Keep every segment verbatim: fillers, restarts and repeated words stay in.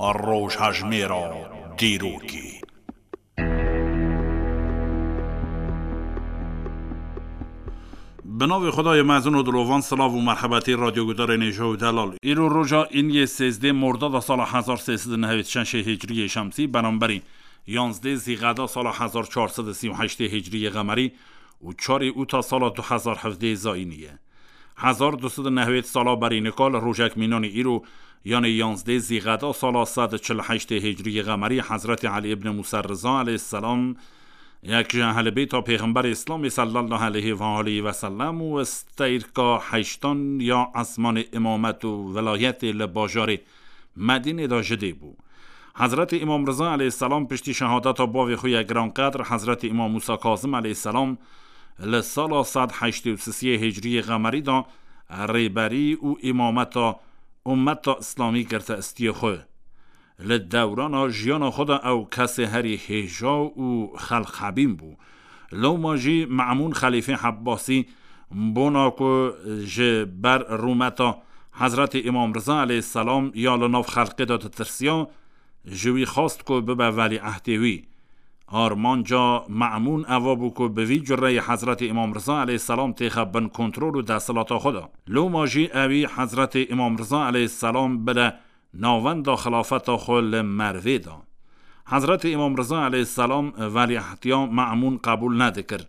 Rojhejmêra dîrokê. Bi navê Xwedayê mezin û dilovan, silav û merhebetî radyogudarên hêja û delal. Îro roja îniyê sêzdeh Mordada sala hezar sê sed û nehwêd şeşê Hicriyê Şemsî, beramberî yanzdeh Zîqeda sala hezar çar sed û sî û heştê Hicriyê Qemerî û çarê Ûta sala du hezar hevdeh Zayînî ye. Hezar du sed û nehwêd sala berî nika li rojek mînanî îro, yanê yanzdeh Zîqeda sala sed û çil û heştê Hicriyê Qemerî, Hezretî Elî ibn Mûsa Riza aleyhisselam, yek ji ehlibeyta Pêxemberê Îslamê sallallahu aleyhi ve aleyhi ve sellem û steyrka heştan ya esmanê îmamet û velayetê li bajarê Medînê de ji dê bû. Hezretî Îmam Riza aleyhisselam piştî şehadeta bavê xwe ya giranqedr, Hezretî Îmam Mûsa Kazim aleyhisselam, li sala sed heştê û sisiyê Hicriyê Qemerî de rêberî û îmameta ummeta Îslamî girtistiyê xwe. Li dewrana jiyana xwe de ew kesê herî hêja û xelqhebîn bû. Loma jî Me'mûn Xelîfê Hebbasî, bona ku ji ber rûmeta Hezretî Îmam Riza aleyhisselam ya li nav xelqê de ditirsiya, ji wî xwest ku bibe velîehdê wî. Armanca Me'mûn eva bû ku bi vî cureyê Hezretî Îmam Riza aleyhisselam têxe bin kontrol û desthilata xwe de. Loma jî ewî Hezretî Îmam Riza aleyhisselam bide navenda xilafeta xwe li Mervê de. Hezretî Îmam Riza aleyhisselam velîehdiya Me'mûn qebûl nedikir.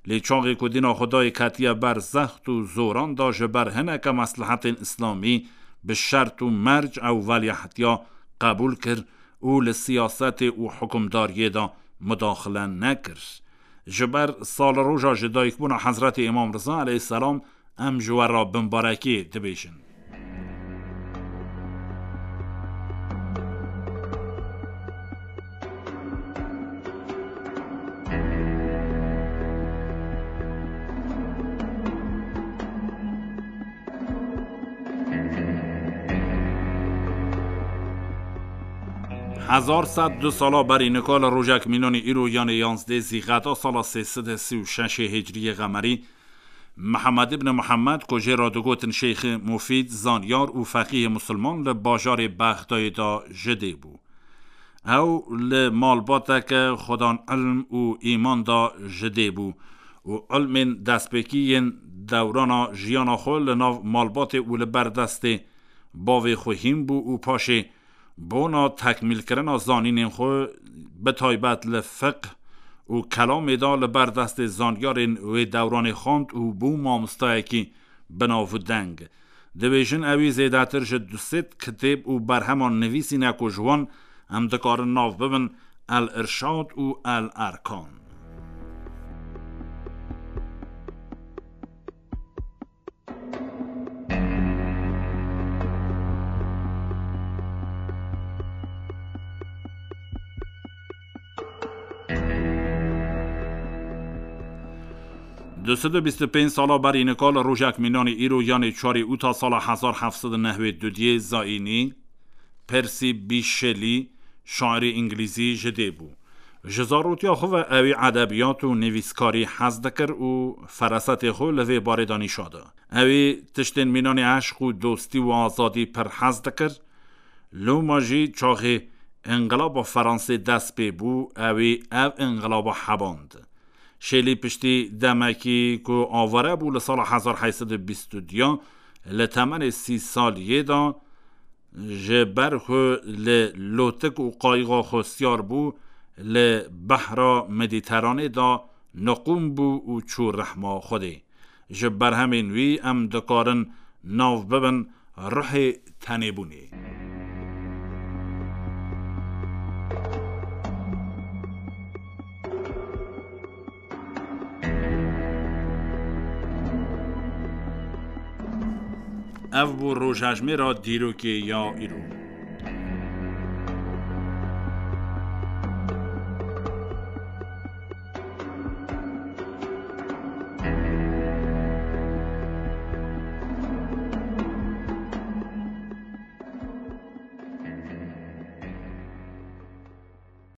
Lê çaxê ku dîna Xwedayê ketiye ber zext û zoran de, ji ber hineke meslehetên îslamî bi şert û merc ew velîehdiya qebûl kir û li siyasetê û hukimdariyê de mudaxile nekir. Ji ber salroja ji dayikbûna Hezretî Îmam Riza aleyhisselam em ji we re bimbarekê dibêjin. Hezar sed du sala berî nika li rojek mînanî îro, yanê yanzdeh Zîqeda sala sê sed û sî û şeşê Hicriyê Qemerî, Mihemed ibn Mihemed, ku jê re digotin Şeyxê Mufîd, zanyar û feqîhê musulman, li bajarê Bexdayê de ji dê bû. Ew li malbateke xwedan ilm û îman de ji dê bû û ilmên destpêkî yên dewrana jiyana xwe li nav malbatê û li ber destê bavê xwe hîn bû û paşê bona tekmîlkirina zanînên xwe, bi taybet li fiqh û kelamê de, li ber destê zanyarên wê dewranê xwend û bû mamostayekî bi nav û deng. Dibêjin ewî zêdetir ji du sed kitêb û berheman nivîsîne ku ji wan em dikarin nav bibin El Irşad û El Erkan. Du sed û bîst û pênc sala berî nika li rojek mînanî îro, yanê çarê Ûta sala hezar heft sed û nehwêd û duyê Zayînî, Percy Bysshe Shelley, şairê îngilîzî, ji dê bû. Ji zarotiya xwe ve ewî edebiyat û nivîskarî hez dikir û ferasetê xwe li vê barê de nîşa da. Ewî tiştên mînanê eşq û dostî û azadî pir hez dikir. Loma jî çaxê înqilaba Fransê dest pê bû, ewî ev înqilaba heband. Shelley piştî demekî ku avare bû, li sala hezar heyt sed û bîst û duyan, li temenê sî saliyê de, ji ber ku li lotik û qayixa xwe siyar bû, li behra Medîteranê de niqûm bû û çû rehma Xwedê. Ji berhemên wî em dikarin nav bibin ruhê tenêbûnê. Ev bû rojhejmêra dîrokê ya îro.